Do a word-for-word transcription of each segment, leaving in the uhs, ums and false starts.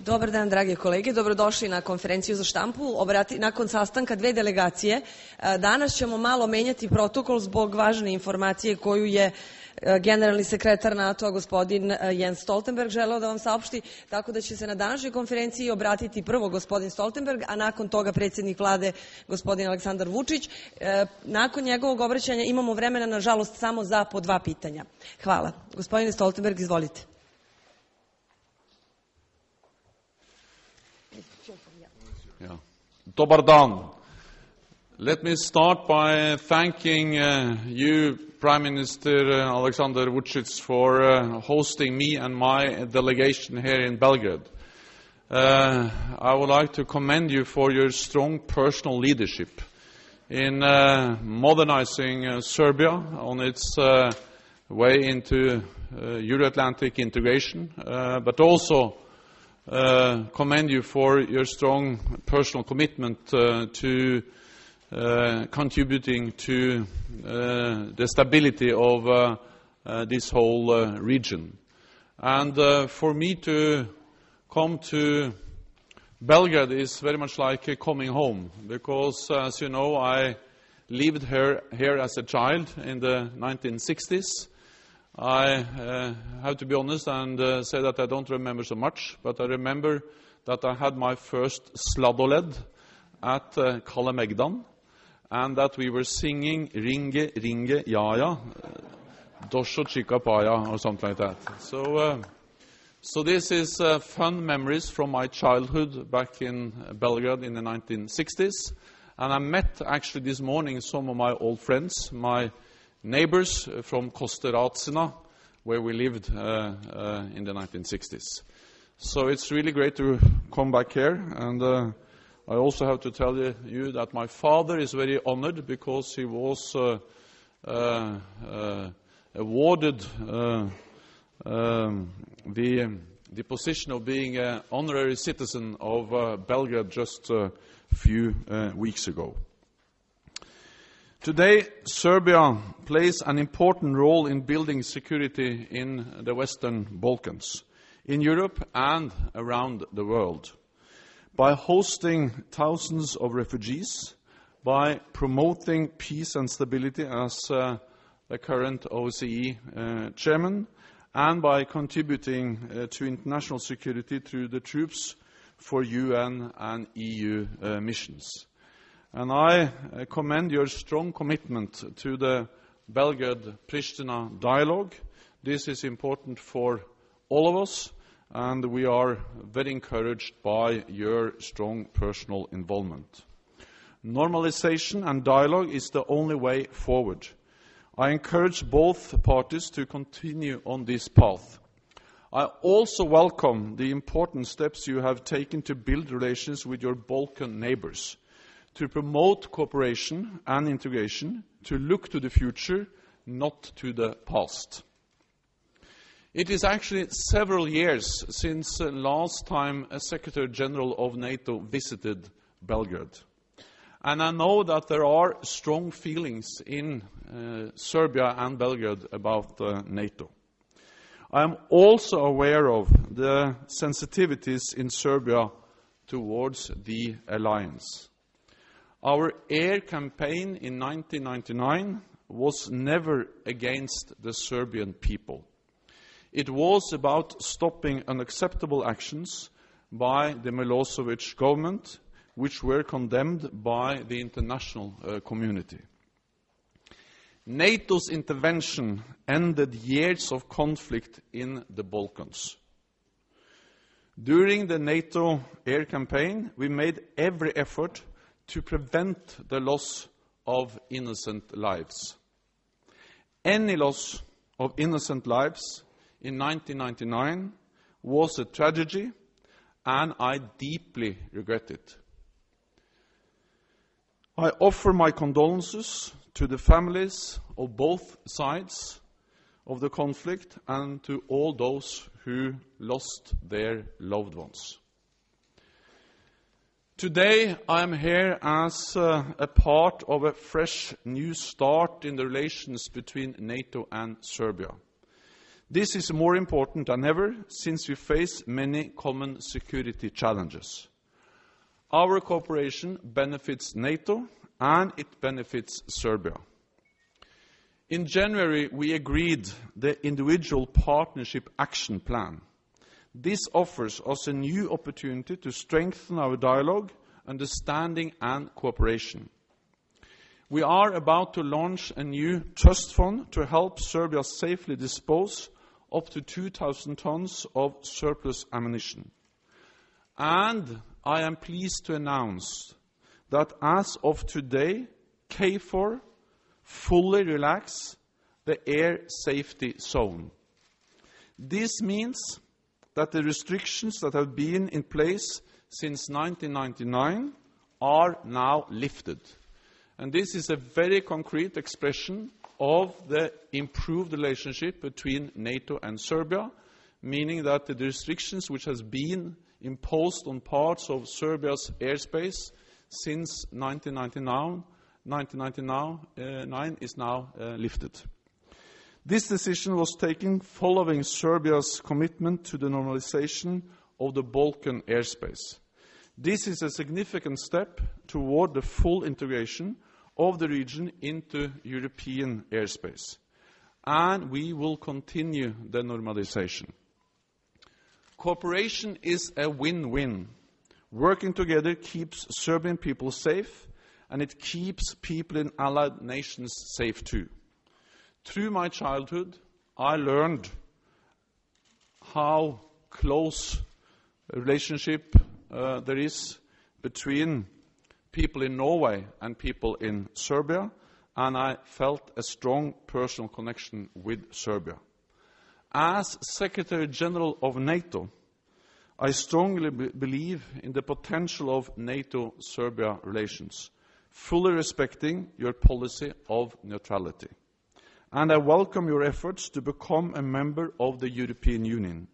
Dobar dan, drage kolege. Dobrodošli na konferenciju za štampu. Obrati, nakon sastanka dve delegacije, danas ćemo malo menjati protokol zbog važne informacije koju je generalni sekretar NATO-a, gospodin Jens Stoltenberg, želeo da vam saopšti, tako da će se na današnjoj konferenciji obratiti prvo gospodin Stoltenberg, a nakon toga predsjednik vlade, gospodin Aleksandar Vučić. Nakon njegovog obraćanja imamo vremena, nažalost, samo za po dva pitanja. Hvala. Gospodine Stoltenberg, izvolite. Yeah. Dobar dan. Let me start by thanking uh, you, Prime Minister uh, Aleksandar Vučić, for uh, hosting me and my delegation here in Belgrade. Uh, I would like to commend you for your strong personal leadership in uh, modernizing uh, Serbia on its uh, way into uh, Euro-Atlantic integration, uh, but also Uh, commend you for your strong personal commitment uh, to uh, contributing to uh, the stability of uh, uh, this whole uh, region. And uh, for me to come to Belgrade is very much like uh, coming home, because, uh, as you know, I lived here, here as a child in the nineteen sixties. I uh, have to be honest and uh, say that I don't remember so much, but I remember that I had my first sladoled at uh, Kalle Megdan, and that we were singing Ringe, Ringe, Jaja, Dosho Chica Paya, or something like that. So, uh, so this is uh, fun memories from my childhood back in Belgrade in the nineteen sixties, and I met actually this morning some of my old friends, my neighbors from Kosteracina, where we lived uh, uh, in the nineteen sixties. So it's really great to come back here, and uh, I also have to tell you, you that my father is very honored because he was uh, uh, uh, awarded uh, um, the, the position of being an honorary citizen of uh, Belgrade just a few uh, weeks ago. Today, Serbia plays an important role in building security in the Western Balkans, in Europe and around the world, by hosting thousands of refugees, by promoting peace and stability as uh, the current O S C E uh, chairman, and by contributing uh, to international security through the troops for U N and E U uh, missions. And I uh, commend your strong commitment to the Belgrade-Pristina dialogue. This is important for all of us, and we are very encouraged by your strong personal involvement. Normalization and dialogue is the only way forward. I encourage both parties to continue on this path. I also welcome the important steps you have taken to build relations with your Balkan neighbors, to promote cooperation and integration, to look to the future, not to the past. It is actually several years since uh, last time a Secretary General of NATO visited Belgrade. And I know that there are strong feelings in uh, Serbia and Belgrade about uh, NATO. I am also aware of the sensitivities in Serbia towards the alliance. Our air campaign in nineteen ninety-nine was never against the Serbian people. It was about stopping unacceptable actions by the Milosevic government, which were condemned by the international uh, community. NATO's intervention ended years of conflict in the Balkans. During the NATO air campaign, we made every effort to prevent the loss of innocent lives. Any loss of innocent lives in nineteen ninety-nine was a tragedy, and I deeply regret it. I offer my condolences to the families of both sides of the conflict and to all those who lost their loved ones. Today I am here as uh, a part of a fresh new start in the relations between NATO and Serbia. This is more important than ever since we face many common security challenges. Our cooperation benefits NATO and it benefits Serbia. In January, we agreed the Individual Partnership Action Plan. This offers us a new opportunity to strengthen our dialogue, understanding and cooperation. We are about to launch a new trust fund to help Serbia safely dispose up to two thousand tons of surplus ammunition. And I am pleased to announce that as of today, K four fully relax the air safety zone. This means that the restrictions that have been in place since nineteen ninety-nine are now lifted. And this is a very concrete expression of the improved relationship between NATO and Serbia, meaning that the restrictions which has been imposed on parts of Serbia's airspace since nineteen ninety-nine is now uh, lifted. This decision was taken following Serbia's commitment to the normalization of the Balkan airspace. This is a significant step toward the full integration of the region into European airspace, and we will continue the normalization. Cooperation is a win-win. Working together keeps Serbian people safe, and it keeps people in allied nations safe too. Through my childhood, I learned how close a relationship uh, there is between people in Norway and people in Serbia, and I felt a strong personal connection with Serbia. As Secretary General of NATO, I strongly be believe in the potential of NATO-Serbia relations, fully respecting your policy of neutrality. And I welcome your efforts to become a member of the European Union,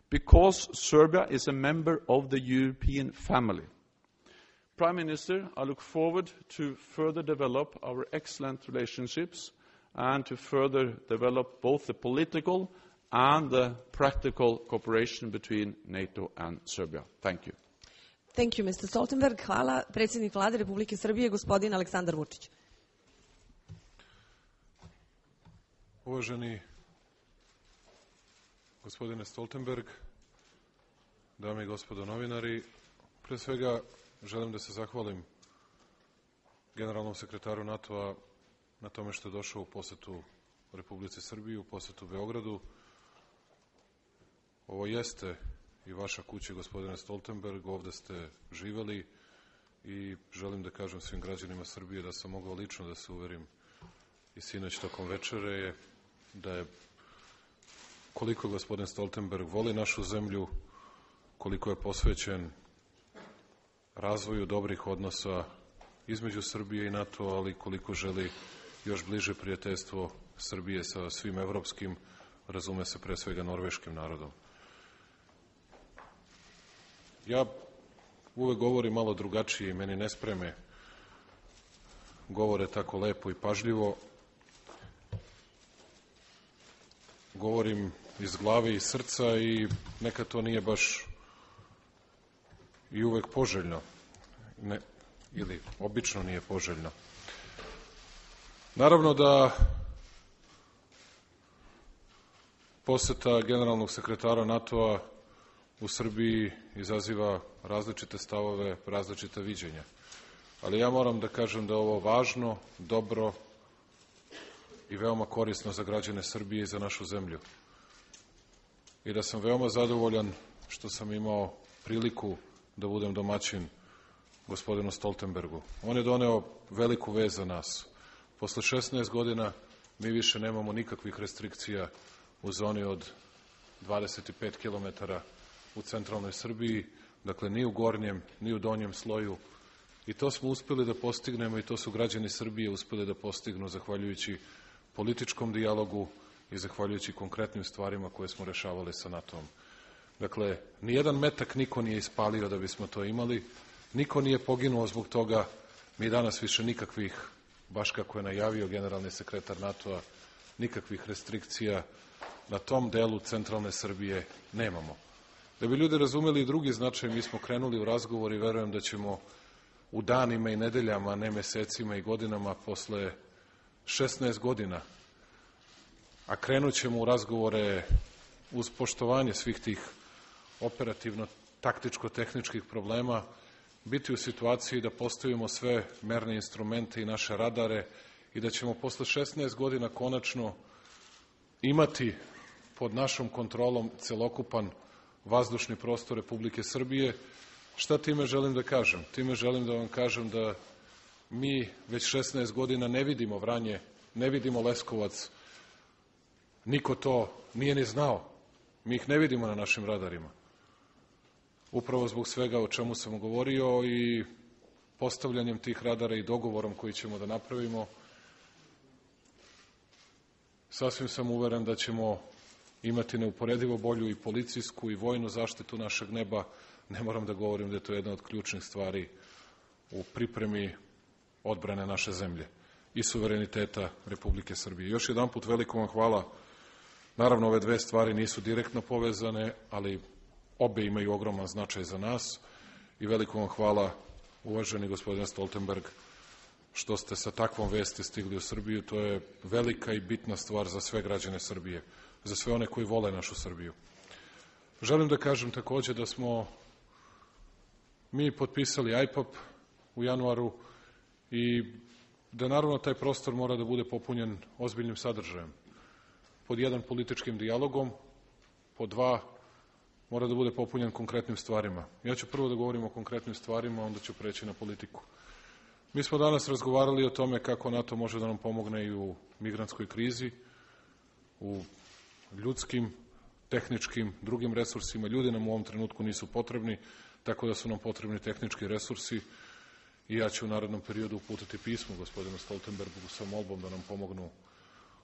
because Serbia is a member of the European family. Prime Minister, I look forward to further develop our excellent relationships and to further develop both the political and the practical cooperation between NATO and Serbia. Thank you. Thank you, Mister Stoltenberg. Hvala. Predsjednik Vlade Republike Srbije, gospodin Aleksandar Vučić. Uvaženi gospodine Stoltenberg, dame i gospodo novinari, pre svega želim da se zahvalim generalnom sekretaru NATO-a na tome što je došao u posetu Republici Srbiji, u posetu Beogradu. Ovo jeste i vaša kuća, gospodine Stoltenberg, ovde ste živeli i želim da kažem svim građanima Srbije da sam mogao lično da se uverim i sinoć tokom večere da je koliko gospodin Stoltenberg voli našu zemlju, koliko je posvećen razvoju dobrih odnosa između Srbije i NATO, ali koliko želi još bliže prijateljstvo Srbije sa svim evropskim, razume se pre svega norveškim narodom. Ja uvek govorim malo drugačije i meni ne spreme govore tako lepo i pažljivo. Govorim iz glave i srca i nekad to nije baš i uvek poželjno, ne, ili obično nije poželjno. Naravno da poseta generalnog sekretara NATO-a u Srbiji izaziva različite stavove, različita viđenja. Ali ja moram da kažem da je ovo važno, dobro i veoma korisno za građane Srbije i za našu zemlju. I da sam veoma zadovoljan što sam imao priliku da budem domaćin gospodinu Stoltenbergu. On je doneo veliku vez za nas. Posle šesnaest godina mi više nemamo nikakvih restrikcija u zoni od dvadeset pet kilometara u centralnoj Srbiji, dakle ni u gornjem, ni u donjem sloju. I to smo uspeli da postignemo i to su građani Srbije uspeli da postignu zahvaljujući političkom dijalogu i zahvaljujući konkretnim stvarima koje smo rešavali sa NATO-om. Dakle, nijedan metak niko nije ispalio da bismo to imali, niko nije poginuo zbog toga, mi danas više nikakvih, baš kako je najavio generalni sekretar NATO-a, nikakvih restrikcija na tom delu centralne Srbije nemamo. Da bi ljudi razumeli i drugi značaj, mi smo krenuli u razgovor i verujem da ćemo u danima i nedeljama, a ne mesecima i godinama, posle šesnaest godina, a krenut ćemo u razgovore uz poštovanje svih tih operativno-taktičko-tehničkih problema, biti u situaciji da postavimo sve merne instrumente i naše radare i da ćemo posle šesnaest godina konačno imati pod našom kontrolom celokupan vazdušni prostor Republike Srbije. Šta time želim da kažem? Time želim da vam kažem da mi već šesnaest godina ne vidimo Vranje, ne vidimo Leskovac, niko to nije ni znao. Mi ih ne vidimo na našim radarima. Upravo zbog svega o čemu sam govorio i postavljanjem tih radara i dogovorom koji ćemo da napravimo, sasvim sam uveren da ćemo imati neuporedivo bolju i policijsku i vojnu zaštitu našeg neba. Ne moram da govorim da je to jedna od ključnih stvari u pripremi odbrane naše zemlje i suvereniteta Republike Srbije. Još jedan put veliko vam hvala. Naravno, ove dve stvari nisu direktno povezane, ali obe imaju ogroman značaj za nas i veliko vam hvala, uvaženi gospodine Stoltenberg, što ste sa takvom vesti stigli u Srbiju. To je velika i bitna stvar za sve građane Srbije, za sve one koji vole našu Srbiju. Želim da kažem takođe da smo mi potpisali I P A P u januaru i da naravno taj prostor mora da bude popunjen ozbiljnim sadržajem. Pod jedan, političkim dijalogom, pod dva, mora da bude popunjen konkretnim stvarima. Ja ću prvo da govorim o konkretnim stvarima, onda ću preći na politiku. Mi smo danas razgovarali o tome kako NATO može da nam pomogne i u migrantskoj krizi, u ljudskim, tehničkim, drugim resursima. Ljudi nam u ovom trenutku nisu potrebni, tako da su nam potrebni tehnički resursi i ja ću u narednom periodu uputiti pismo gospodinu Stoltenbergu sa molbom da nam pomognu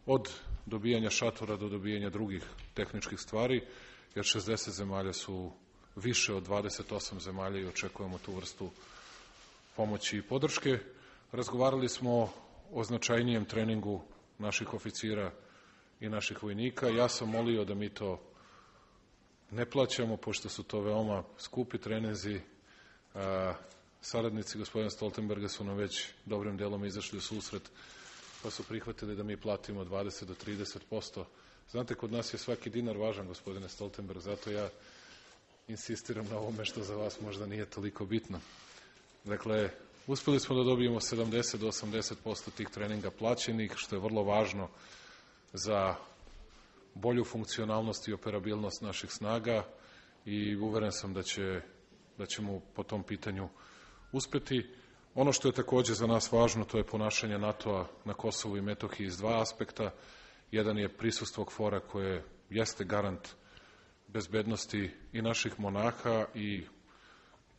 od dobijanja šatora do dobijanja drugih tehničkih stvari, jer šezdeset zemalja su više od dvadeset osam zemalja i očekujemo tu vrstu pomoći i podrške. Razgovarali smo o značajnijem treningu naših oficira i naših vojnika. Ja sam molio da mi to ne plaćamo, pošto su to veoma skupi treninzi. Saradnici gospodina Stoltenberga su nam već dobrim delom izašli u susret, pa su prihvatili da mi platimo dvadeset do trideset posto. Znate, kod nas je svaki dinar važan, gospodine Stoltenberg, zato ja insistiram na ovome što za vas možda nije toliko bitno. Dakle, uspeli smo da dobijemo sedamdeset do osamdeset posto tih treninga plaćenih, što je vrlo važno za bolju funkcionalnost i operabilnost naših snaga i uveren sam da, će, da ćemo po tom pitanju uspeti. Ono što je takođe za nas važno, to je ponašanje NATO-a na Kosovu i Metohiji iz dva aspekta. Jedan je prisustvo KFOR-a koje jeste garant bezbednosti i naših monaha i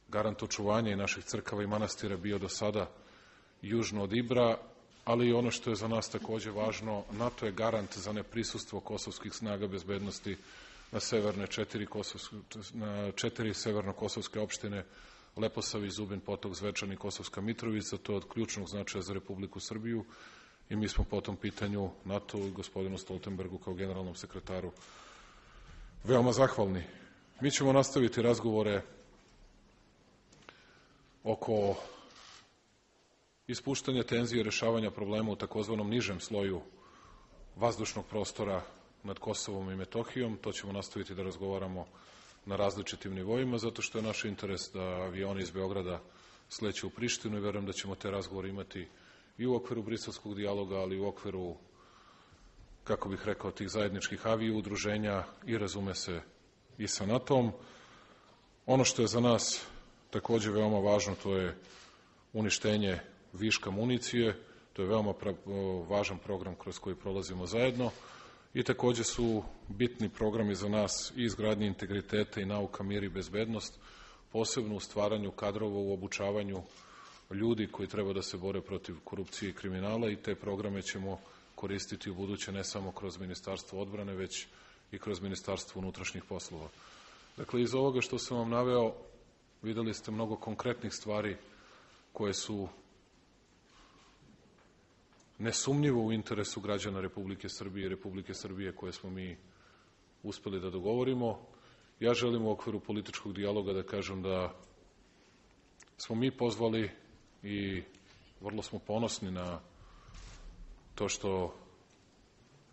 garant očuvanja i naših crkava i manastira bio do sada južno od Ibra, ali i ono što je za nas takođe važno, NATO je garant za neprisustvo kosovskih snaga bezbednosti na severne četiri, kosovske, na četiri severno-kosovske opštine, Leposavić, Zubin Potok, Zvečan i Kosovska Mitrovica. To je od ključnog značaja za Republiku Srbiju i mi smo po tom pitanju NATO i gospodinu Stoltenbergu kao generalnom sekretaru veoma zahvalni. Mi ćemo nastaviti razgovore oko ispuštanja tenzije i rešavanja problema u takozvanom nižem sloju vazdušnog prostora nad Kosovom i Metohijom. To ćemo nastaviti da razgovaramo na različitim nivoima, zato što je naš interes da avioni iz Beograda sleću u Prištinu i verujem da ćemo te razgovore imati i u okviru briselskog dijaloga, ali i u okviru, kako bih rekao, tih zajedničkih avio udruženja i razume se i sa NATO-om. Ono što je za nas takođe veoma važno, to je uništenje viška municije. To je veoma važan program kroz koji prolazimo zajedno i takođe su bitni programi za nas i izgradnje integriteta i nauka, mir i bezbednost, posebno u stvaranju kadrova, u obučavanju ljudi koji treba da se bore protiv korupcije i kriminala i te programe ćemo koristiti u buduće ne samo kroz Ministarstvo odbrane, već i kroz Ministarstvo unutrašnjih poslova. Dakle, iz ovoga što sam vam naveo, videli ste mnogo konkretnih stvari koje su nesumnjivo u interesu građana Republike Srbije i Republike Srbije koje smo mi uspeli da dogovorimo. Ja želim u okviru političkog dijaloga da kažem da smo mi pozvali i vrlo smo ponosni na to što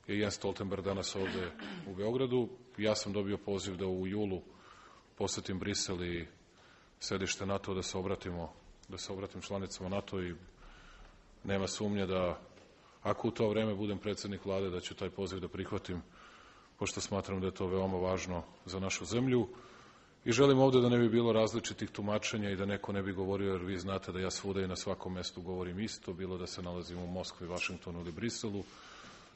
je Jens Stoltenberg danas ovde u Beogradu. Ja sam dobio poziv da u julu posetim Brisel i sedište NATO da se obratimo, da se obratim članicama NATO i nema sumnje da ako u to vreme budem predsednik vlade da ću taj poziv da prihvatim, pošto smatram da je to veoma važno za našu zemlju. I želim ovde da ne bi bilo različitih tumačenja i da neko ne bi govorio, jer vi znate da ja svuda i na svakom mestu govorim isto, bilo da se nalazim u Moskvi, Vašingtonu ili Briselu.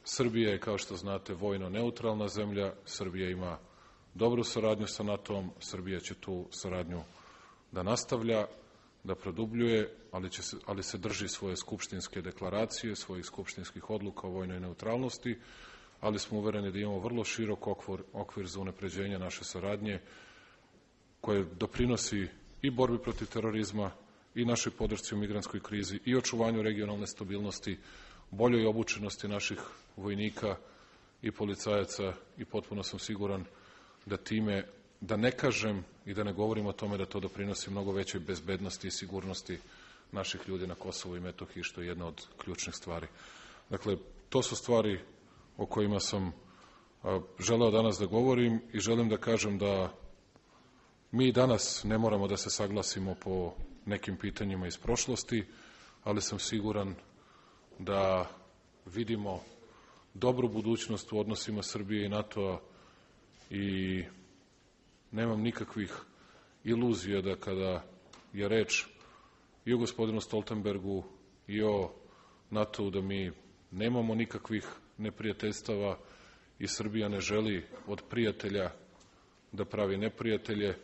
Srbija je, kao što znate, vojno neutralna zemlja. Srbija ima dobru saradnju sa NATO-om. Srbija će tu saradnju da nastavlja, da produbljuje, ali, će se, ali se drži svoje skupštinske deklaracije, svojih skupštinskih odluka o vojnoj neutralnosti, ali smo uvereni da imamo vrlo širok okvir, okvir za unapređenje naše saradnje, koje doprinosi i borbi protiv terorizma, i našoj podršci u migrantskoj krizi, i očuvanju regionalne stabilnosti, boljoj obučenosti naših vojnika i policajaca, i potpuno sam siguran da time, da ne kažem i da ne govorim o tome da to doprinosi mnogo većoj bezbednosti i sigurnosti naših ljudi na Kosovu i Metohiji, što je jedna od ključnih stvari. Dakle, to su stvari o kojima sam a, želeo danas da govorim i želim da kažem da mi danas ne moramo da se saglasimo po nekim pitanjima iz prošlosti, ali sam siguran da vidimo dobru budućnost u odnosima Srbije i NATO-a i nemam nikakvih iluzija da kada je reč i o gospodinu Stoltenbergu i o NATO-u da mi nemamo nikakvih neprijateljstava i Srbija ne želi od prijatelja da pravi neprijatelje,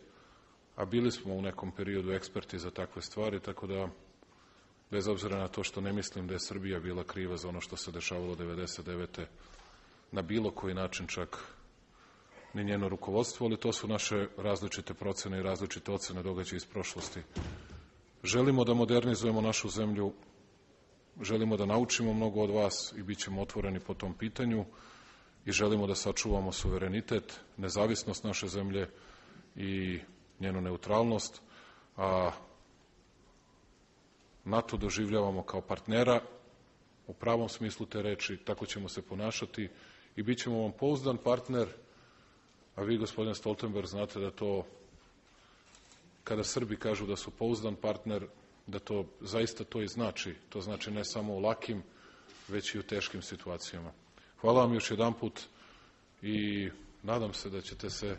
a bili smo u nekom periodu eksperti za takve stvari, tako da bez obzira na to što ne mislim da je Srbija bila kriva za ono što se dešavalo devedeset devete na bilo koji način, čak ni njeno rukovodstvo, ali to su naše različite procene i različite ocene događaja iz prošlosti. Želimo da modernizujemo našu zemlju, želimo da naučimo mnogo od vas i bit ćemo otvoreni po tom pitanju i želimo da sačuvamo suverenitet, nezavisnost naše zemlje i njenu neutralnost, a NATO doživljavamo kao partnera u pravom smislu te reči, tako ćemo se ponašati i bit ćemo vam pouzdan partner, a vi, gospodine Stoltenberg, znate da to, kada Srbi kažu da su pouzdan partner, da to zaista to i znači. To znači ne samo u lakim, već i u teškim situacijama. Hvala vam još jedanput i nadam se da ćete se,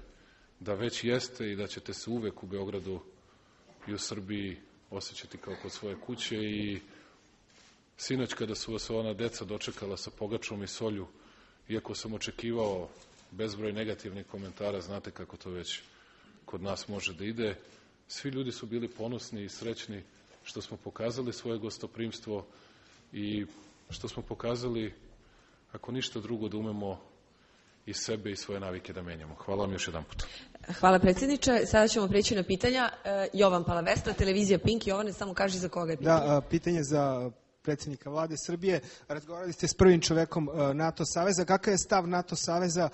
da već jeste i da ćete se uvek u Beogradu i u Srbiji osjećati kao kod svoje kuće i sinoć kada su vas ona deca dočekala sa pogačom i solju, iako sam očekivao bezbroj negativnih komentara, znate kako to već kod nas može da ide, svi ljudi su bili ponosni i srećni što smo pokazali svoje gostoprimstvo i što smo pokazali, ako ništa drugo, da umemo i sebe i svoje navike da menjamo. Hvala vam još jedan put. Hvala predsjedniče. Sada ćemo prijeći na pitanja. Jovan Palavestra, televizija Pink. Jovane, samo kaži za koga je pitanje. Da, pitanje za predsjednika vlade Srbije. Razgovarali ste s prvim čovekom NATO saveza. Kakav je stav NATO saveza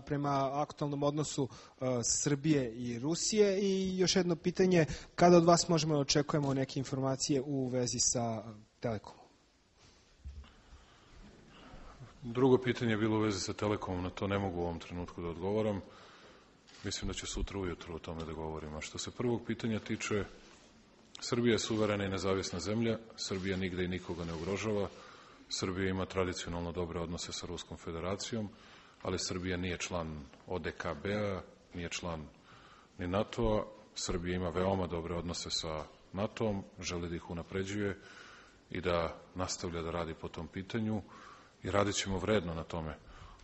prema aktualnom odnosu Srbije i Rusije? I još jedno pitanje, kada od vas možemo da očekujemo neke informacije u vezi sa Telekomom? Drugo pitanje je bilo u vezi sa Telekomom, na to ne mogu u ovom trenutku da odgovoram. Mislim da će sutra ujutro o tome da govorim. A što se prvog pitanja tiče, Srbija je suverena i nezavisna zemlja, Srbija nigde i nikoga ne ugrožava, Srbija ima tradicionalno dobre odnose sa Ruskom federacijom, ali Srbija nije član O D K B-a, nije član ni NATO-a, Srbija ima veoma dobre odnose sa NATO-om, želi da ih unapređuje i da nastavlja da radi po tom pitanju i radit ćemo vredno na tome.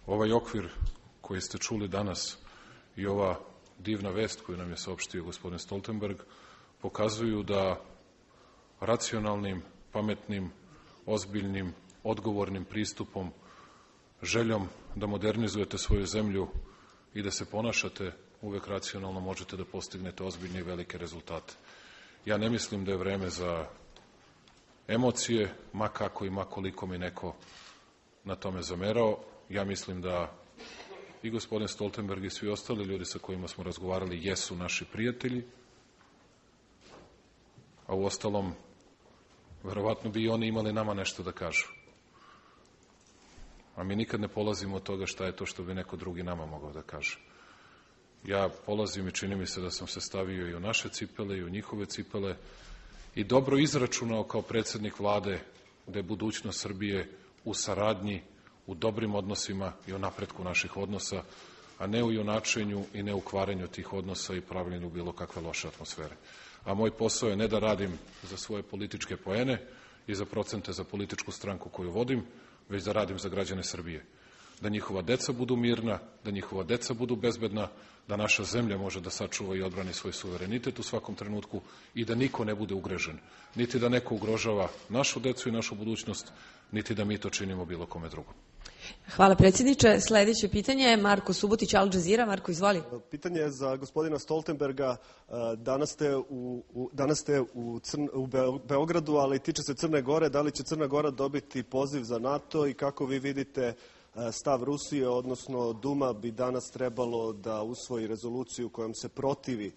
Ovaj okvir koji ste čuli danas i ova divna vest koju nam je saopštio gospodin Stoltenberg pokazuju da racionalnim, pametnim, ozbiljnim, odgovornim pristupom, željom da modernizujete svoju zemlju i da se ponašate uvek racionalno možete da postignete ozbiljne i velike rezultate. Ja ne mislim da je vreme za emocije, ma kako i ma koliko mi neko na tome zamerao. Ja mislim da i gospodin Stoltenberg i svi ostali ljudi sa kojima smo razgovarali jesu naši prijatelji, a u ostalom, verovatno bi i oni imali nama nešto da kažu. A mi nikad ne polazimo od toga šta je to što bi neko drugi nama mogao da kaže. Ja polazim i čini mi se da sam se stavio i u naše cipele i u njihove cipele i dobro izračunao kao predsednik vlade da je budućnost Srbije u saradnji, u dobrim odnosima i u napretku naših odnosa, a ne u junačenju i ne u kvarenju tih odnosa i pravljenju bilo kakve loše atmosfere. A moj posao je ne da radim za svoje političke poene i za procente za političku stranku koju vodim, već da radim za građane Srbije. Da njihova deca budu mirna, da njihova deca budu bezbedna, da naša zemlja može da sačuva i odbrani svoj suverenitet u svakom trenutku i da niko ne bude ugrežen. Niti da neko ugrožava našu decu i našu budućnost, niti da mi to činimo bilo kome drugom. Hvala predsjedniče. Sledeće pitanje je Marko Subotić, Al Jazeera. Marko, izvoli. Pitanje je za gospodina Stoltenberga. Danas ste u, u, danas ste u, Crn, u Beogradu, ali tiče se Crne Gore. Da li će Crna Gora dobiti poziv za NATO i kako vi vidite stav Rusije, odnosno Duma bi danas trebalo da usvoji rezoluciju kojom se protivi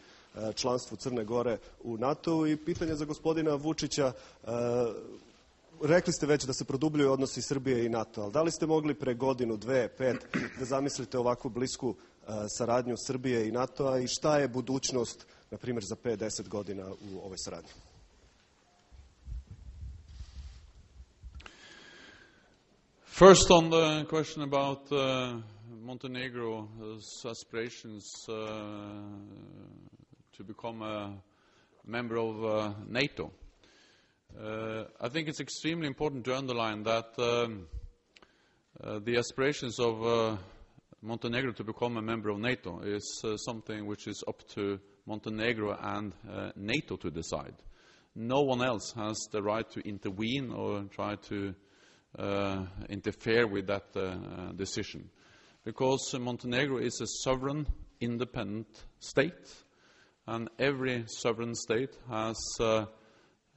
članstvu Crne Gore u NATO-u. I pitanje za gospodina Vučića, rekli ste već da se produbljuju odnosi Srbije i NATO, ali da li ste mogli pre godinu, dve, pet da zamislite ovakvu blisku saradnju Srbije i NATO-a i šta je budućnost, na primjer, za pet, deset godina u ovoj saradnji? First, on the question about uh, Montenegro's aspirations uh, to become a member of uh, NATO. Uh, I think it's extremely important to underline that um, uh, the aspirations of uh, Montenegro to become a member of NATO is uh, something which is up to Montenegro and uh, NATO to decide. No one else has the right to intervene or try to uh, interfere with that uh, decision, because uh, Montenegro is a sovereign, independent state, and every sovereign state has uh,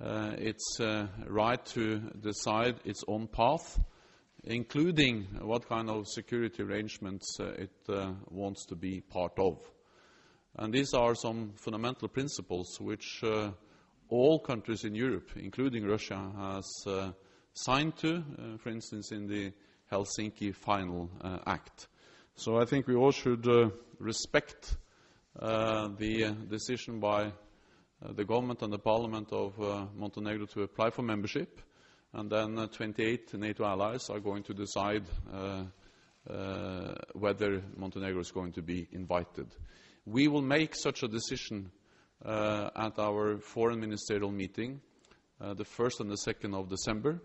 uh, its uh, right to decide its own path, including what kind of security arrangements uh, it uh, wants to be part of. And these are some fundamental principles which uh, all countries in Europe, including Russia, has uh, signed to, uh, for instance, in the Helsinki Final uh, Act. So I think we all should uh, respect uh, the uh, decision by uh, the government and the parliament of uh, Montenegro to apply for membership. And then uh, twenty-eight NATO allies are going to decide uh, uh, whether Montenegro is going to be invited. We will make such a decision uh, at our foreign ministerial meeting, uh, the first and the second of December.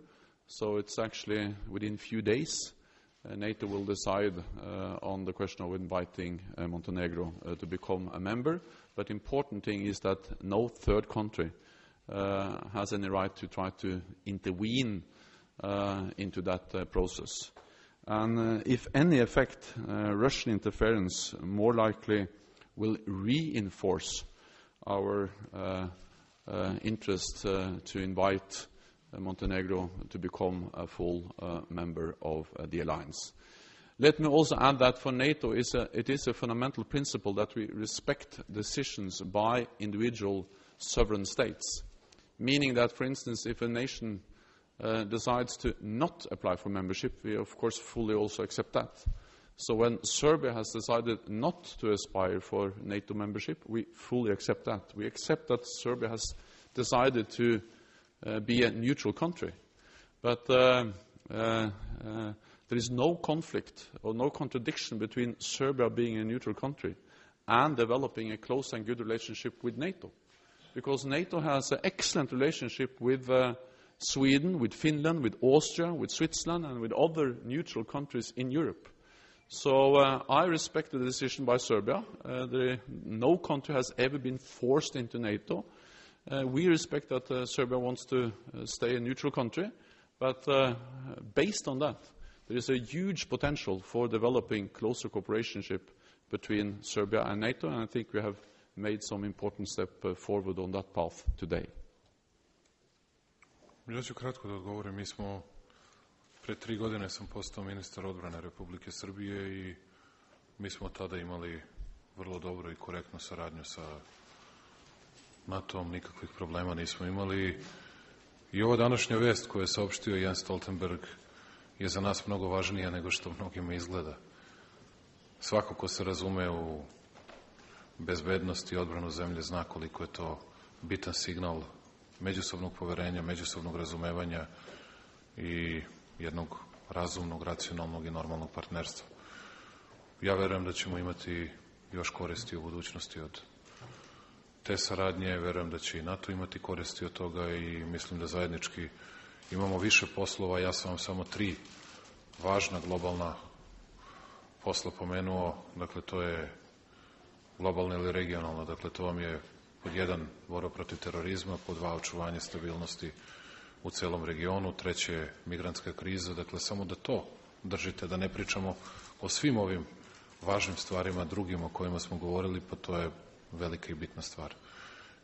So it's actually within a few days. Uh, NATO will decide uh, on the question of inviting uh, Montenegro uh, to become a member. But the important thing is that no third country uh, has any right to try to intervene uh, into that uh, process. And uh, if any effect, uh, Russian interference more likely will reinforce our uh, uh, interest uh, to invite uh, Montenegro to become a full uh, member of uh, the alliance. Let me also add that for NATO, is a, it is a fundamental principle that we respect decisions by individual sovereign states, meaning that, for instance, if a nation uh, decides to not apply for membership, we of course fully also accept that. So when Serbia has decided not to aspire for NATO membership, we fully accept that. We accept that Serbia has decided to uh, be a neutral country. But uh, uh, uh, there is no conflict or no contradiction between Serbia being a neutral country and developing a close and good relationship with NATO. Because NATO has an excellent relationship with uh, Sweden, with Finland, with Austria, with Switzerland, and with other neutral countries in Europe. So uh, I respect the decision by Serbia. Uh, there, no country has ever been forced into NATO. Uh, we respect that uh, Serbia wants to uh, stay a neutral country, but uh, based on that, there is a huge potential for developing closer cooperation between Serbia and NATO, and I think we have made some important step uh, forward on that path today. Ja ću kratko da odgovorim. Mi smo Pre tri godine sam postao ministar odbrane Republike Srbije i mi smo tada imali vrlo dobro i korektnu saradnju sa NATO-om, nikakvih problema nismo imali. I ova današnja vest koju je saopštio Jens Stoltenberg je za nas mnogo važnija nego što mnogima izgleda. Svako ko se razume u bezbednost i odbranu zemlje zna koliko je to bitan signal međusobnog poverenja, međusobnog razumevanja i jednog razumnog, racionalnog i normalnog partnerstva. Ja verujem da ćemo imati još koristi u budućnosti od te saradnje, verujem da će i NATO imati koristi od toga i mislim da zajednički imamo više poslova. Ja sam vam samo tri važna globalna posla pomenuo, dakle to je globalno ili regionalno, dakle to vam je pod jedan borba protiv terorizma, pod dva očuvanje stabilnosti u celom regionu, treće migrantska kriza, dakle samo da to držite, da ne pričamo o svim ovim važnim stvarima drugim o kojima smo govorili, pa to je velika i bitna stvar.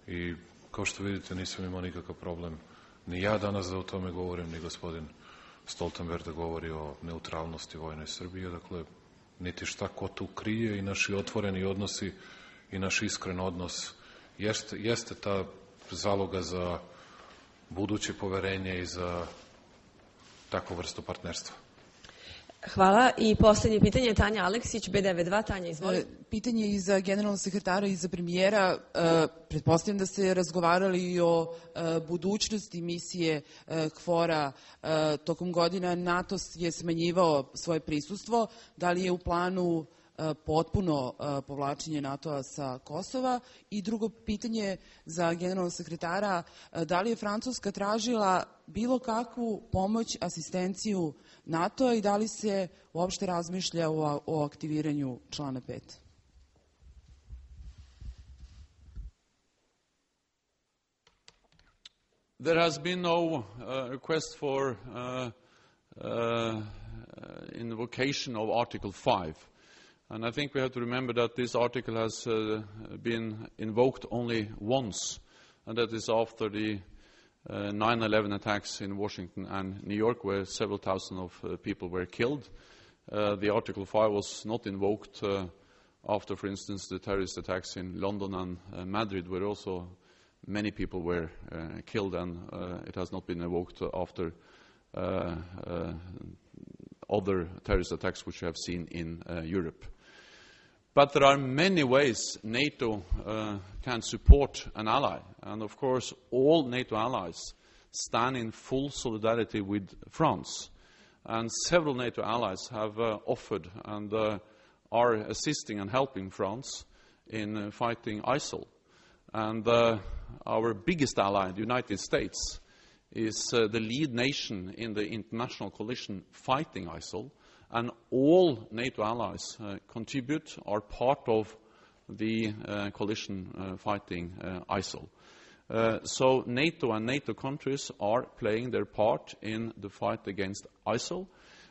I kao što vidite nisam imao nikakav problem ni ja danas da o tome govorim, ni gospodin Stoltenberg da govori o neutralnosti vojnoj Srbije, dakle niti šta ko tu krije i naši otvoreni odnosi i naš iskren odnos jeste, jeste ta zaloga za buduće poverenje i za takvu vrstu partnerstva. Hvala. I poslednje pitanje, Tanja Aleksić, B devedeset dva. Tanja, izvoli. Pitanje i za generalnog sekretara i za premijera. Pretpostavljam da ste razgovarali i o budućnosti misije KFOR-a. Tokom godina NATO je smanjivao svoje prisustvo. Da li je u planu potpuno povlačenje NATO-a sa Kosova? I drugo pitanje za generalnog sekretara, da li je Francuska tražila bilo kakvu pomoć, asistenciju NATO-a i da li se uopšte razmišlja o, o aktiviranju člana pet? There has been no uh, request for uh, uh, invocation of Article five. And I think we have to remember that this article has uh, been invoked only once, and that is after the uh, nine eleven attacks in Washington and New York, where several thousand of uh, people were killed. Uh, the Article five was not invoked uh, after, for instance, the terrorist attacks in London and uh, Madrid, where also many people were uh, killed, and uh, it has not been invoked after uh, uh, other terrorist attacks which we have seen in uh, Europe. But there are many ways NATO uh, can support an ally. And of course, all NATO allies stand in full solidarity with France. And several NATO allies have uh, offered and uh, are assisting and helping France in uh, fighting ISIL. And uh, our biggest ally, the United States, is uh, the lead nation in the international coalition fighting ISIL. And all NATO allies uh, contribute, are part of the uh, coalition uh, fighting uh, ISIL. Uh, so NATO and NATO countries are playing their part in the fight against ISIL.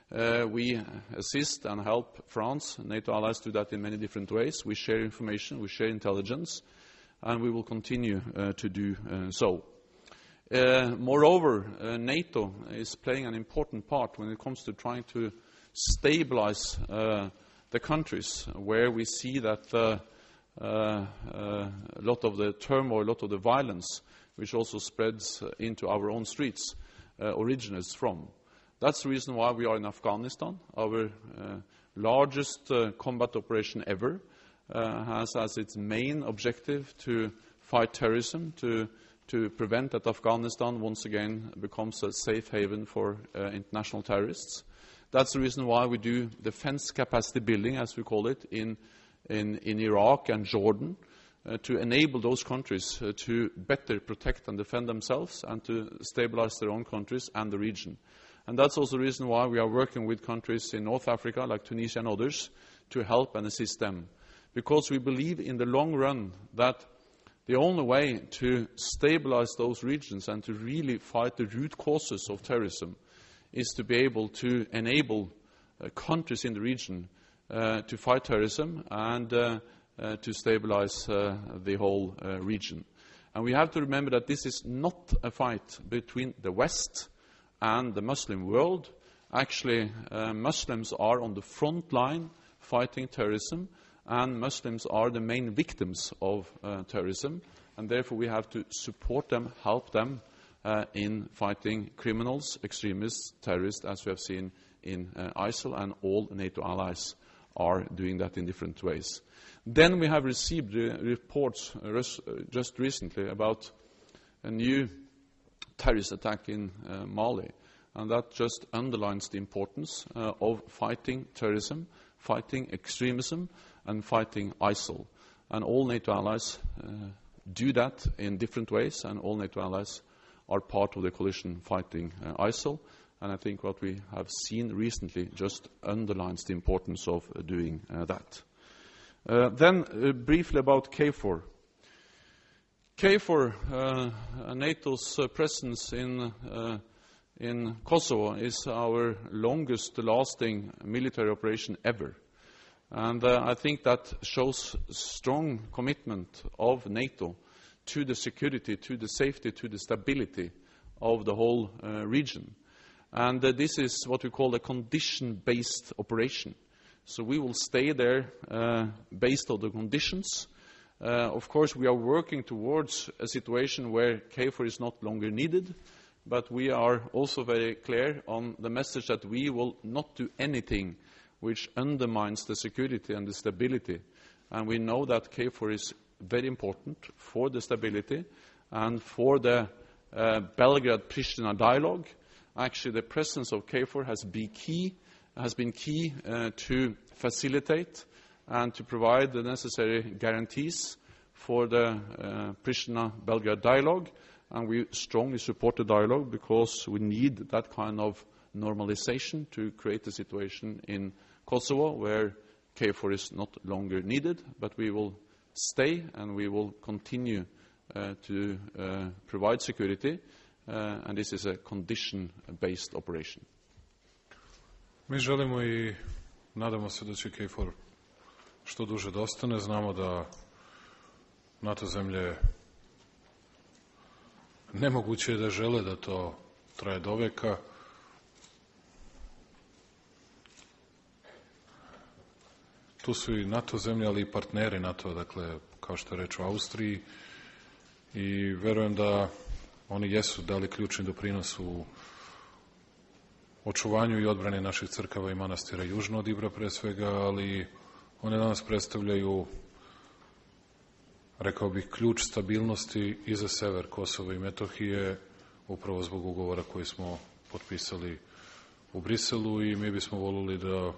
Uh, we assist and help France. NATO allies do that in many different ways. We share information, we share intelligence, and we will continue uh, to do uh, so. Uh, moreover, uh, NATO is playing an important part when it comes to trying to stabilize uh, the countries where we see that uh, uh, uh, a lot of the turmoil, a lot of the violence, which also spreads uh, into our own streets, uh, originates from. That's the reason why we are in Afghanistan. Our uh, largest uh, combat operation ever uh, has as its main objective to fight terrorism, to, to prevent that Afghanistan once again becomes a safe haven for uh, international terrorists. That's the reason why we do defense capacity building, as we call it, in, in, in Iraq and Jordan, uh, to enable those countries uh, to better protect and defend themselves and to stabilize their own countries and the region. And that's also the reason why we are working with countries in North Africa, like Tunisia and others, to help and assist them. Because we believe in the long run that the only way to stabilize those regions and to really fight the root causes of terrorism is to be able to enable uh, countries in the region uh, to fight terrorism and uh, uh, to stabilize uh, the whole uh, region. And we have to remember that this is not a fight between the West and the Muslim world. Actually, uh, Muslims are on the front line fighting terrorism, and Muslims are the main victims of uh, terrorism, and therefore we have to support them, help them uh, in fighting criminals, extremists, terrorists, as we have seen in uh, ISIL, and all NATO allies are doing that in different ways. Then we have received uh, reports uh, res uh, just recently about a new terrorist attack in uh, Mali, and that just underlines the importance uh, of fighting terrorism, fighting extremism, and fighting ISIL. And all NATO allies uh, do that in different ways, and all NATO allies are part of the coalition fighting uh, ISIL. And I think what we have seen recently just underlines the importance of uh, doing uh, that. Uh, then uh, briefly about KFOR. KFOR, uh, NATO's uh, presence in, uh, in Kosovo, is our longest-lasting military operation ever. And uh, I think that shows strong commitment of NATO to the security, to the safety, to the stability of the whole uh, region. And uh, this is what we call a condition-based operation. So we will stay there uh, based on the conditions. Uh, of course, we are working towards a situation where KFOR is not longer needed, but we are also very clear on the message that we will not do anything which undermines the security and the stability. And we know that KFOR is very important for the stability and for the uh, Belgrade-Pristina dialogue. Actually, the presence of KFOR has been key, has been key uh, to facilitate and to provide the necessary guarantees for the uh, Pristina-Belgrade dialogue. And we strongly support the dialogue because we need that kind of normalization to create a situation in Kosovo where KFOR is not longer needed, but we will stay and we will continue uh, to uh, provide security. Uh, and this is a condition-based operation. Mi želimo i nadamo se da će KFOR što duže da ostane. Znamo da NATO zemlje nemoguće je da žele da to traje do veka. Tu su i NATO zemlje, ali i partneri NATO, dakle, kao što je reč o Austriji. I verujem da oni jesu dali ključni doprinos u očuvanju i odbrani naših crkava i manastira južno od Ibra pre svega, ali one danas predstavljaju, rekao bih, ključ stabilnosti i za sever Kosova i Metohije, upravo zbog ugovora koji smo potpisali u Briselu, i mi bismo volili da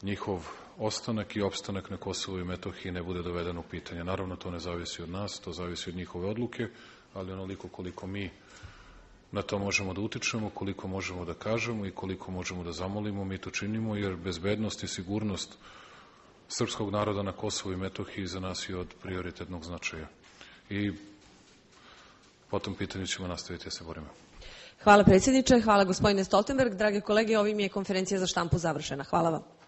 njihov ostanak i opstanak na Kosovu i Metohiji ne bude doveden u pitanje. Naravno, to ne zavisi od nas, to zavisi od njihove odluke, ali onoliko koliko mi na to možemo da utičemo, koliko možemo da kažemo i koliko možemo da zamolimo, mi to činimo, jer bezbednost i sigurnost srpskog naroda na Kosovu i Metohiji za nas je od prioritetnog značaja. I po tom pitanju ćemo nastaviti da se borimo. Hvala predsjedniče, hvala gospodine Stoltenberg. Drage kolege, ovim je konferencija za štampu završena. Hvala vam.